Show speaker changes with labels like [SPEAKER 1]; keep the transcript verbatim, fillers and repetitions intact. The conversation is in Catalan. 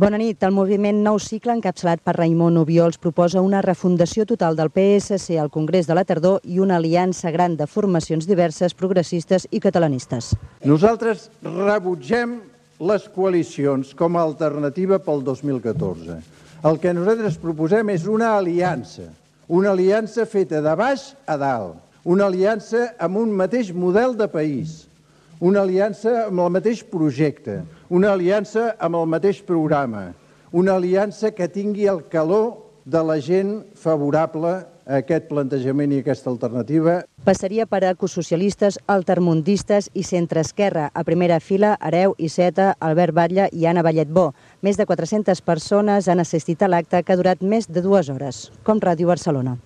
[SPEAKER 1] Bona nit. El moviment Nou Cicle, encapçalat per Raimon Obiols, proposa una refundació total del P S C al Congrés de la Tardor i una aliança gran de formacions diverses, progressistes i catalanistes.
[SPEAKER 2] Nosaltres rebutgem les coalicions com a alternativa pel dos mil catorze. El que nosaltres proposem és una aliança, una aliança feta de baix a dalt, una aliança amb un mateix model de país, una aliança amb el mateix projecte, una aliança amb el mateix programa, una aliança que tingui el calor de la gent favorable a aquest plantejament i aquesta alternativa.
[SPEAKER 1] Passaria per ecosocialistes, altermundistes i centreesquerra. A primera fila, Hereu, Iceta, Albert Batlle i Anna Balletbó. Més de quatre-centes persones han assistit a l'acte que ha durat més de dues hores. Com Ràdio Barcelona.